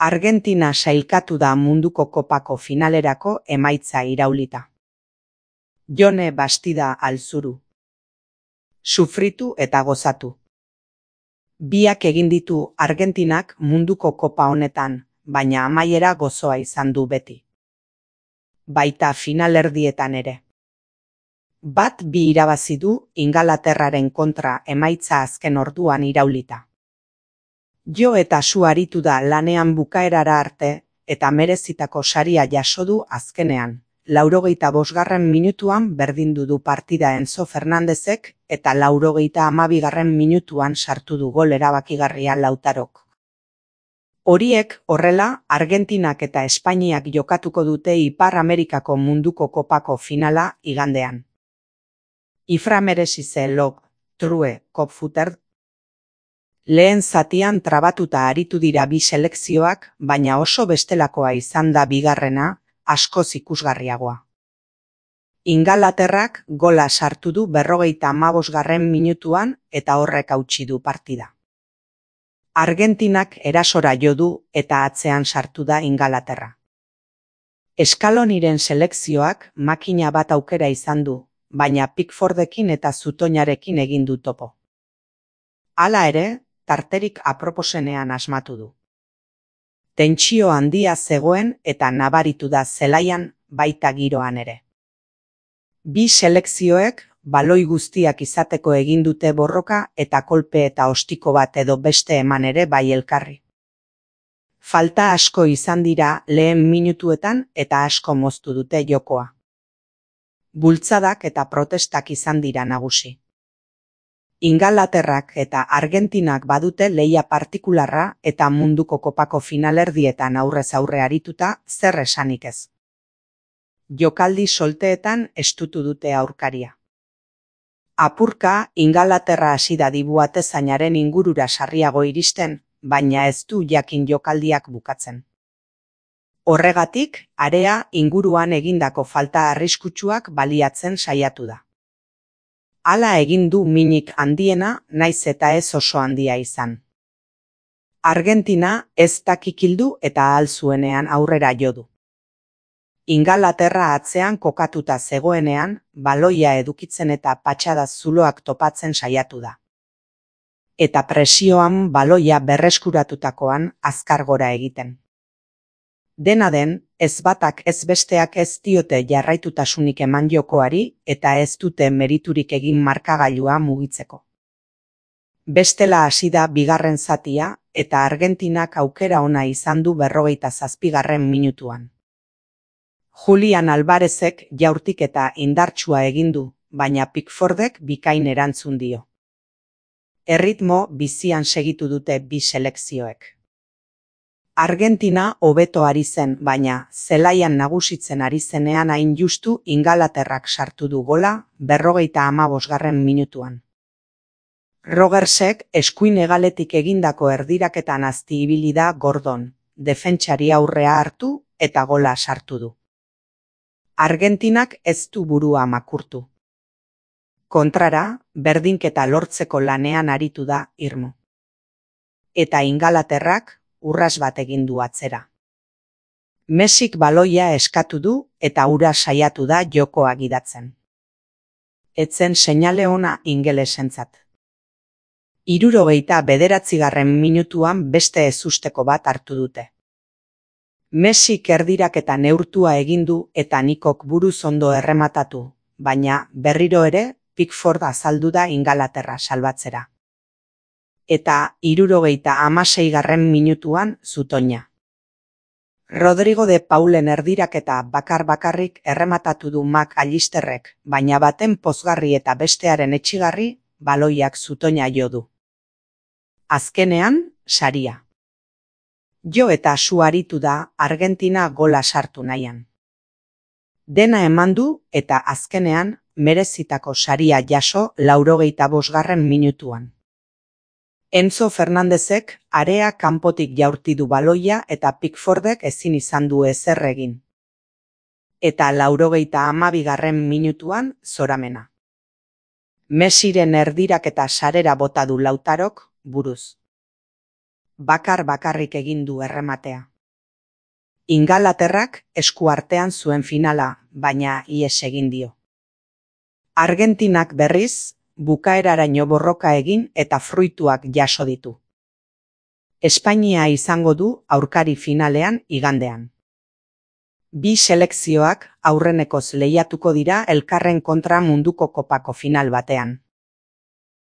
Argentina sailkatu da munduko kopako finalerako emaitza iraulita. Jone Bastida Alzuru. Sufritu eta gozatu. Biak egin ditu Argentinak munduko kopa honetan, baina amaiera gozoa izan du beti. Baita finalerdietan ere. Bat bi irabazi du Ingalaterraren kontra emaitza azken orduan iraulita. Jo eta su aritu da lanean bukaerara arte eta merezitako saria jaso du azkenean. 85. minutuan berdindu du partida Enzo Fernandezek eta 92. minutuan sartu du gol erabakigarria Lautarok. Horiek horrela, Argentinak eta Espainiak jokatuko dute Ipar Amerikako munduko kopako finala igandean. Ifra merezi log, true, kopfuter. Lehen zatian trabatuta aritu dira bi selekzioak, baina oso bestelakoa izan da bigarrena, askoz ikusgarriagoa. Ingalaterrak gola sartu du 55. minutuan eta horrek hautsi du partida. Argentinak erasora jo du eta atzean sartu da Ingalaterra. Scaloniren selekzioak makina bat aukera izan du, baina Pickfordekin eta Zutoinarekin egin du topo. Hala ere, tarterik aproposenean asmatu du. Tentsio handia zegoen eta nabaritu da zelaian baita giroan ere. Bi selekzioek baloi guztiak izateko egin dute borroka eta kolpe eta ostiko bat edo beste eman ere bai elkarri. Falta asko izan dira lehen minutuetan eta asko moztu dute jokoa. Bultzadak eta protestak izan dira nagusi. Ingalaterrak eta Argentinak badute lehia partikularra eta munduko kopako finalerdietan aurrez aurre arituta zer esanik ez. Jokaldi solteetan estutu dute aurkaria. Apurka Ingalaterra hasi da dibuatezainaren ingurura sarriago iristen, baina ez du jakin jokaldiak bukatzen. Horregatik, area inguruan egindako falta arriskutsuak baliatzen saiatu da. Hala egin du minik handiena, naiz eta ez oso handia izan. Argentina ez dakikildu eta ahal zuenean aurrera jo du. Ingalaterra atzean kokatuta zegoenean, baloia edukitzen eta patxada zuloak topatzen saiatu da. Eta presioan baloia berreskuratutakoan azkar gora egiten. Dena den, ez batak ez besteak ez diote jarraitutasunik eman jokoari eta ez dute meriturik egin markagailua mugitzeko. Bestela hasi da bigarren zatia eta Argentinak aukera ona izan du 57. minutuan. Julian Alvarezek jaurtik eta indartsua egin du, baina Pickfordek bikain erantzun dio. Erritmo bizian segitu dute bi selekzioek. Argentina hobeto ari zen, baina zelaian nagusitzen ari zenean hain justu Ingalaterrak sartu du gola 55. minutuan. Rogersek eskuin hegaletik egindako erdiraketan azti ibili da Gordon, defentsari aurrea hartu eta gola sartu du. Argentinak ez du burua makurtu. Kontrara, berdinketa lortzeko lanean aritu da irmo. Eta Ingalaterrak urras bat egin du atzera. Messik baloia eskatu du eta ura saiatu da jokoa gidatzen. Etzen seinale ona ingelesentzat. 69. minutuan beste ezusteko bat hartu dute. Messik erdiraketa neurtua egin du eta Nikok buruz ondo errematatu, baina berriro ere Pickford azaldu da Ingalaterra salbatzera. Eta 76. minutuan Zutoina. Rodrigo de Paulen erdiraketa bakar-bakarrik errematatu du McAllisterrek, baina baten pozgarri eta bestearen etsigarri baloiak Zutoina jo du. Azkenean, saria. Jo eta su aritu da Argentina gola sartu nahian. Dena eman du eta azkenean merezitako saria jaso 85. minutuan. Enzo Fernandezek area kanpotik jaurti du baloia eta Pickfordek ezin izan du ezer egin. Eta 92. minutuan zoramena. Messiren erdiraketa sarera bota du Lautarok buruz. bakar-bakarrik egin du errematea. Ingalaterrak esku artean zuen finala, baina ihes egin dio. Argentinak berriz, bukaeraraino borroka egin eta fruituak jaso ditu. Espainia izango du aurkari finalean igandean. Bi selekzioak aurrenekoz lehiatuko dira elkarren kontra munduko kopako final batean.